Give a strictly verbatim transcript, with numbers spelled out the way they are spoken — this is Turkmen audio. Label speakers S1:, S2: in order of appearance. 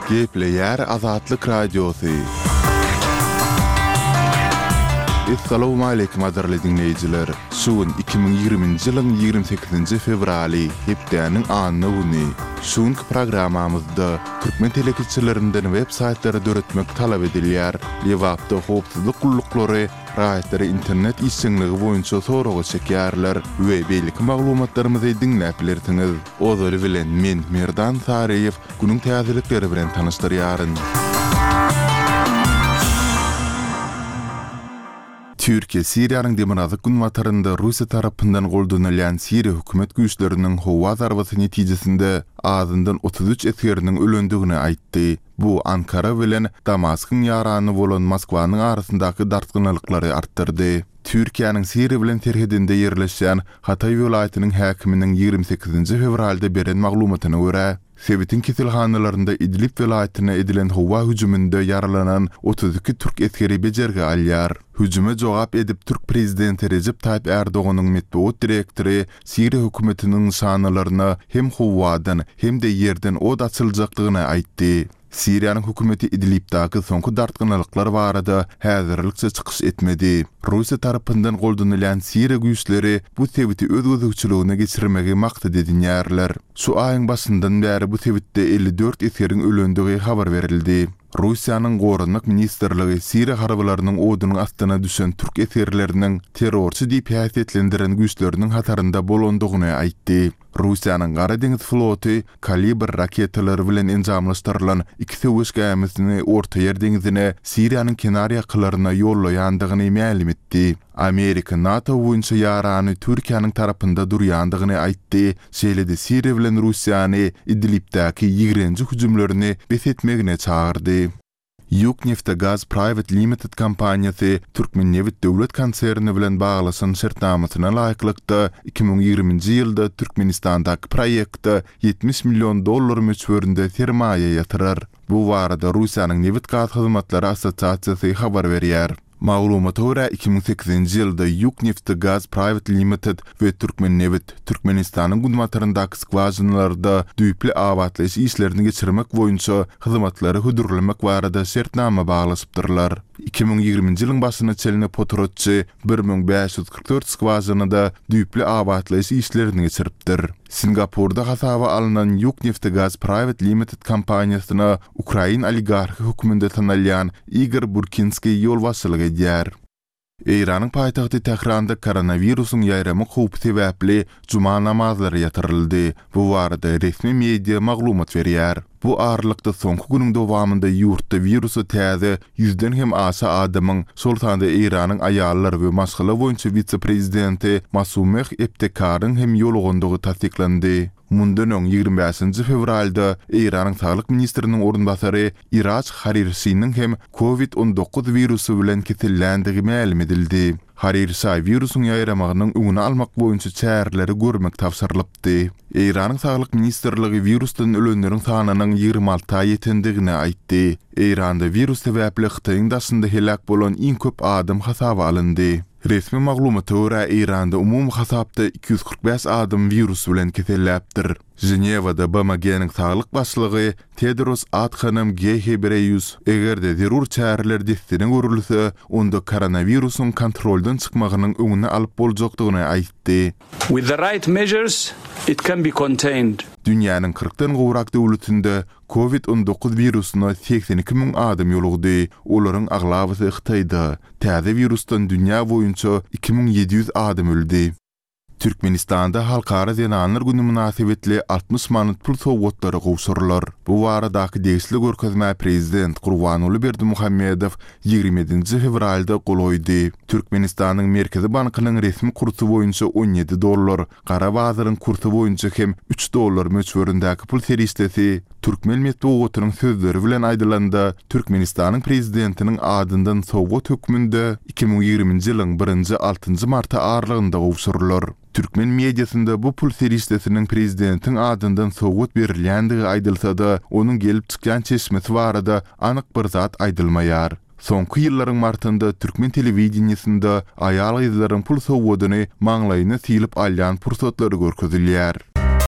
S1: Gepleýär Azatlyk Radiosy. Essalawmaleýkim gadyrly diňleýjiler! Şu gün iki müň ýigriminji ýylyň ýigrimi sekizinji fewraly, hepdäniň anna güni. Şu günki programmamyzda türkmen telekeçilerinden web saýtlary döretmek talap edilýär. Lebapda howpsuzlyk gulluklary raýatlary internet işjeňligi boýunça soraga çekýärler we beýleki maglumatlarymyzy diňläp bilersiňiz. Ozaly bilen men, Merdan Saryýew, günüň täzelikleri bilen tanyşdyrýaryn. Türkiýe Siriýanyň demirgazyk-günbatarynda Russiýa tarapyndan goldanylýan Siriýa hökümet güýçleriniň howa zarbasy netijesinde azyndan otuz üç esgeriniň ölendigini aýtdy. Bu Ankara bilen Damaskyň ýarany bolan Moskwanyň arasyndaky dartgynlyklary artdyrdy. Türkiýäniň Siriýa bilen serhedinde ýerleşýän Hataý welaýatynyň häkiminiň ýigrimi sekizinji fewralda beren maglumatyna görä, sebitiň keselhanalarynda Idlib welaýatyna edilen howa hüjüminde ýaralanan otuz iki türk esgeri bejergi alýar. Hüjüme jogap edip türk prezidenti Rejep Taýyp Erdoganyň metbugat direktory Siriýa hökümetiniň nyşanalaryna hem howadan, hem-de ýerden ot açyljakdygyny aýtdy. Siriýanyň hökümeti Idlibdäki soňky dartgynlylyklar barada häzirlikçe çykyş etmedi. Russiýa tarapyndan goldanylýan siriýa güýçleri bu sebiti öz gözegçiligine geçirmegi maksat edinýärler. Şu aýyň başyndan bäri bu sebitde elli dört esgeriň ölendigi habar berildi. Russiýanyň Goranmak ministrligi siriýa harbylarynyň odunyň astyna düşen türk esgerleriniň terrorçy diýip häsiýetlendiren güýçleriniň hatarynda bolandygyny aýtdy. Russiýanyň Gara deňiz floty Kalibr raketalary bilen enjamlaşdyrylan iki söweş gämisini Ortaýer deňzine Siriýanyň kenar ýakalaryna ýollaýandygyny mälim etdi. Amerika NATO boýunça ýarany Türkiýäniň tarapynda durýandygyny aýtdy, şeýle-de Siriýa bilen Russiýany Idlibdäki ýigrenji hüjümlerini bes etmegine çagyrdy. Ýukneftegaz Private Limited kompaniýasy Türkmennebit döwlet konserni bilen baglaşan şertnamasyna laýyklykda, iki müň ýigriminji ýylda Türkmenistandaky proýektde ýetmiş million dollar möçberinde sermaýa ýatyrar. Bu barada Russiýanyň Nebit-gaz hyzmatlary assosiasiýasy habar berýär. Maglumata görä, iki müň sekizinji ýylda Ýukneftegaz Private Limited we Türkmennebit Türkmenistanyň günbataryndaky skwažinalarda düýpli abatlaýyş işlerini geçirmek boýunça hyzmatlary hödürlemek barada şertnama baglaşypdyrlar. Iki müň ýigriminji ýylyň başyna çenli potratçy bir müň bäş ýüz kyrk dört skwažinada düýpli abatlaýyş işlerini geçiripdir. Singapurda hasaba alnan Ýukneftegaz Private Limited kompaniýasyna ukrain oligarhy hökmünde tanalýan Igor Burkinskiý ýolbaşçylyk edýär. Eýranyň paýtagty Tähranda koronawirusyň ýaýramak howpy sebäpli juma namazlary ýatyryldy. Bu barada resmi media maglumat berýär. Bu aralykda soňky günüň dowamynda ýurtda wirusa täze ýüzden hem aşa adamyň, şol sanda Eýranyň aýallar we maşgala boýunça wise-prezidenti Masumeh Ebtekaryň hem ýolugandygy tassyklandy. Mundan öň ýigrimi bäşinji fewralda Eýranyň saglyk ministriniň orunbasary Iraj Harirşiniň hem Covid on dokuz wirusy bilen keselländigi mälim edildi. Harirşa wirusyň ýaýramagynyň öňüni almak boýunça çäreleri görmek tabşyrylypdy. Eýranyň Saglyk ministrligi wirusdan ölenleriň sanynyň ýigrimi alta ýetendigini aýtdy. Eýranda wirus sebäpli Hytaýyň daşynda heläk bolan iň köp adam hasaba alyndy. Resmi maglumata görä, Eýranda umumy hasapda iki ýüz kyrk bäş adam wirus bilen keselläpdir. Ženewada B M G-niň saglyk başlygy Tedros Adhanom Ghebreýus, eger-de zerur çäreler dessine görülse, onda koronawirusyň kontroldan çykmagynyň öňüni alyp boljakdygyny aýtdy.
S2: With the right measures, it can be contained.
S1: Dünýäniň kyrkdan gowrak döwletinde Covid on dokuz wirusyna segsen iki müň adam ýolugdy, olaryň aglabasy Hytaýda. Täze wirusdan dünýä boýunça iki müň ýedi ýüz adam öldi. Türkmenistanda Halkara zenanlar güni mynasybetli altmyş manat pul sowgatlary gowşurylar. Bu baradaky degişli görkezmä prezident Gurbanguly Berdimuhamedow ýigrimi ýedinji fewralda gol goýdy. Türkmenistanyň Merkezi bankynyň resmi kursy boýunça on ýedi dollar, gara bazaryň kursy boýunça hem üç dollar möçberindäki pul serişdesi, türkmen metbugatynyň sözleri bilen aýdylanda, Türkmenistanyň Prezidentiniň adyndan sowgat hökmünde iki müň ýigriminji ýylyň birinji altynjy marty aralygynda gowşurylar. Türkmen mediasynda bu pul serişdesiniň prezidentiň adyndan sowgat berilýändigi aýdylsa-da, onuň gelip çykýan çeşmesi barada anyk bir zat aýdylmaýar. Soňky ýyllaryň martynda türkmen telewideniýesinde aýal-gyzlaryň pul sowgadyny maňlaýyna sylyp alýan pursatlary görkezilýär.